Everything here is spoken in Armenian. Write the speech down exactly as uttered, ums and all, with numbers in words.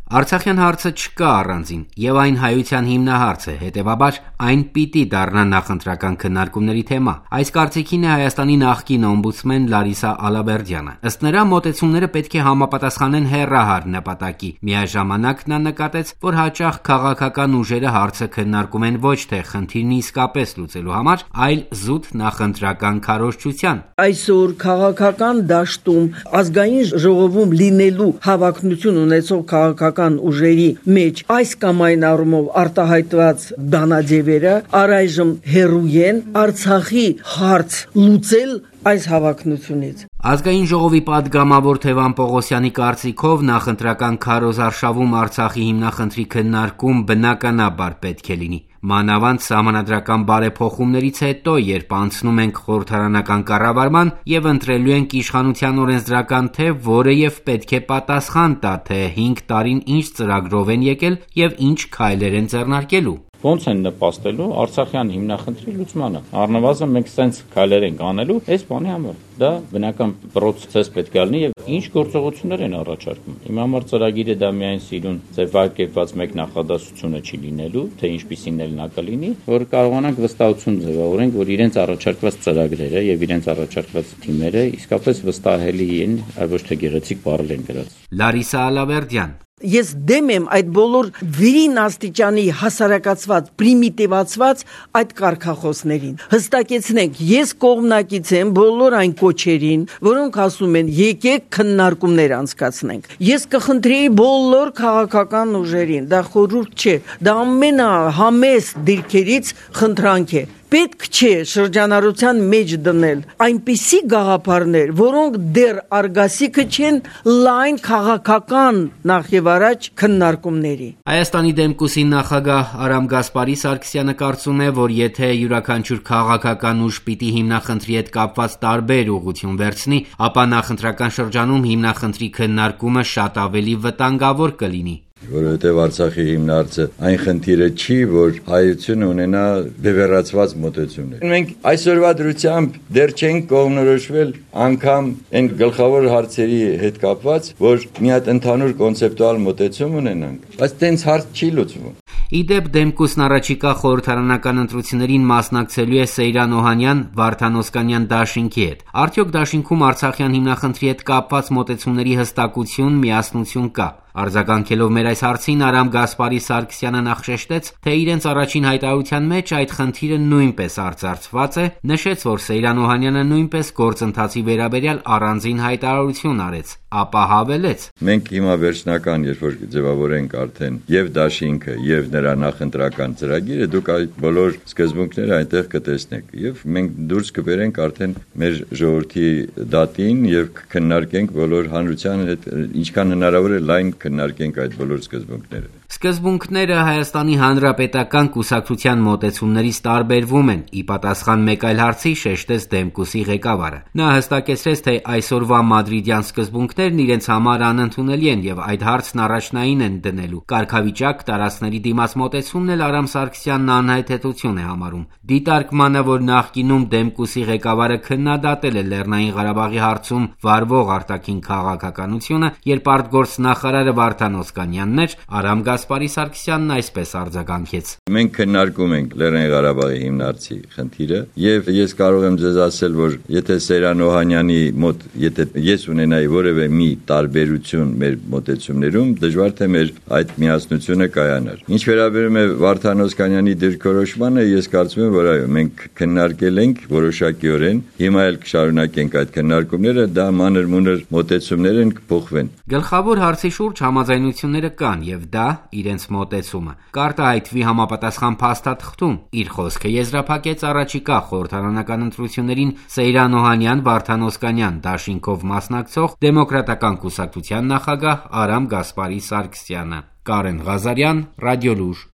Արցախյան հարցը չկա առանձին եւ այն հայության հիմնահարց է, հետեւաբար այն պիտի դառնա նախընտրական քննարկումների թեմա։ Այս կարծիքին է Հայաստանի նախկին օմբուդսմեն Լարիսա Ալավերդյանը։ Ըստ նրա, մոտեցումները պետք է համապատասխանեն հեռահար նպատակի։ Միաժամանակ նա նկատեց, որ հաճախ քաղաքական ուժերը հարցը քննարկում են ոչ թե խնդիրն իսկապես լուծելու համար, այլ զուտ նախընտրական քարոզչության։ Այսօր քաղաքական դաշտում ազգային ժողովում լինելու հավակնություն ունեցող քաղաքական ուժերի մեջ այս կամ այն առումով արտահայտված բանաձևերը առայժմ հեռու են Արցախի հարց լուծել այս հավակնությունից։ Ազգային ժողովի պատգամավոր Թևան Պողոսյանի կարծիքով նախընտրական քարոզարշավում Արցախի հիմնախնդրի քննարկում բնականաբար պետք է լինի։ Մանավանդ սահմանադրական բարեփոխումներից հետո, երբ անցնում ենք խորհրդարանական կառավարման եւ ընտրելու ենք իշխանության օրենսդրական թեւ, որը եւ պետք է պատասխան տա, թե հինգ տարին ինչ ծրագրով են եկել եւ ինչ քայլեր են ձեռնարկելու։ Ոնց են նպաստելու Արցախյան հիմնախնդրի լուծմանը։ Առնվազն մենք սենց քայլեր ենք անելու այս բանի համար։ Դա բնական process պետք է լինի եւ ինչ գործողություններ են առաջարկում։ Իմ համար ծրագիրը դա միայն սիրուն ձևակերպված մեկ նախադասությունը չի լինելու, թե ինչպիսին էլ նա կլինի, որ կարողանանք վստահություն ձևավորենք, որ իրենց առաջարկված ծրագրերը եւ իրենց առաջարկված թիմերը իսկապես վստահելի են, այլ ոչ թե գեղեցիկ բառեր են գրած։ Լարիսա Ալավերդյան Ես դեմ եմ այդ բոլոր վերին աստիճանի հասարակացված, պրիմիտիվացված այդ կարգախոսներին։ Հստակեցնենք, ես կողմնակից եմ բոլոր այն կոչերին, որոնք ասում են եկեք քննարկումներ անցկացնենք։ Ես կխնդրեի բոլոր քաղաքական ուժերին, դա խորհուրդ չէ, դա ամենահամեստ դիրքերից խնդրանք է։ Պետք չէ շրջանառության մեջ դնել այնպիսի գաղափարներ, որոնք դեռ արգասիքը չեն լայն քաղաքական նախևառաջ քննարկումների։ Հայաստանի Դեմկուսի նախագահ Արամ Գասպարի Սարգսյանը կարծում է, որ եթե յուրաքանչյուր քաղաքական ուժ պիտի հիմնախնդրի հետ կապված տարբեր ուղղություն վերցնի, ապա նախընտրական շրջանում հիմնախնդրի քննարկումը շատ ավելի վտանգավոր կլինի։ Որովհետև Արցախի հիմնարարը այն խնդիրը չի, որ հայությունը ունենա բևեռացված մոտեցումներ։ Մենք այսօրվա դրությամբ դեռ չենք կողմնորոշվել անգամ այն գլխավոր հարցերի հետ կապված, որ մի հատ ընդհանուր կոնցեպտուալ մոտեցում ունենանք, բայց տենց հարց չի լուծվում։ Իդեպ Դեմկուսն առաջիկա խորհրդարանական ընտրություններին մասնակցելու է Սեյրան Օհանյան, Վարդան Օսկանյան դաշինքի հետ։ Արդյոք դաշինքում Արցախյան հիմնախնդրի հետ կապված մոտեցումների հստակություն, միասնություն կա։ Արձագանքելով մեր այս հարցին Արամ Գասպարի Սարգսյանը նախ շեշտեց, թե իրենց առաջին հայտարարության մեջ այդ խնդիրը նույնպես արծարծված է, նշեց, որ Սեյրան Օհանյանը նույնպես գործընթացի վերաբերյալ առանձին հայտարարություն արեց, ապա հավելեց. Մենք հիմա վերջնական, երբ որ ձևավորենք արդեն եւ դաշինքը եւ նրա նախընտրական ծրագիրը, դուք այդ բոլոր սկզբունքները այնտեղ կտեսնեք եւ մենք դուրս կբերենք արդեն մեր ժողովրդի դատին եւ կքննարկենք բոլոր հանրության հետ ինչքան հնարավոր է լայն քննարկենք այդ բոլոր սկզբունքները։ Սկզբունքները Հայաստանի Հանրապետական կուսակցության մոտեցումներից տարբերվում են, ի պատասխան մեկ այլ հարցի շեշտեց Դեմկուսի ղեկավարը։ Նա հստակեցրեց, թե այսօրվա մադրիդյան սկզբունքներն իրենց համար անընդունելի են եւ այդ հարցն առաջնային են դնելու։ Կարգավիճակ տարածքների դիմաց մոտեցումն էլ Արամ Սարգսյանն անհայտեցություն է համարում։ Դիտարկմանը, որ նախկինում Դեմկուսի ղեկավարը քննադատել է Լեռնային Ղարաբաղի հարցում վարվող արտաքին քաղաքականությունը, երբ արտգործնախարարը Վարդան Օսկանյանն էր, Արամ Գասպարի Սարգսյանն այսպես արձագանքեց. Մենք քննարկում ենք Լեռնային Ղարաբաղի հիմնարարցի խնդիրը եւ ես կարող եմ ձեզ ասել, որ եթե Սեյրան Օհանյանի մոտ, եթե ես ունենայի որևէ մի տարբերություն մեր մոտեցումներում, դժվար թե մեր այդ միասնությունը կայանար։ Ինչ վերաբերում է Վարդան Օսկանյանի դիրքորոշմանը, ես կարծում եմ, որ այո, մենք քննարկել ենք որոշակիորեն, հիմա էլ կշարունակենք այդ քննարկումները, դա մանր-մունր մոտեցումներ են կփոխվեն։ Գլխավոր հարցի շուրջ համաձայնությունները կան եւ դա իրենց մոտեցումը։ Կարտահայտվի համապատասխան փաստաթղթում իր խոսքը եզրափակեց առաջիկա խորհրդարանական ընտրություններին Սեյրան Օհանյան, Վարդան Օսկանյան դաշինքով մասնակցող Դեմոկրատական կուսակցության նախագահ Արամ Գասպարի Սարգսյանը։ Կարեն Ղազարյան, Ռադիոլուր։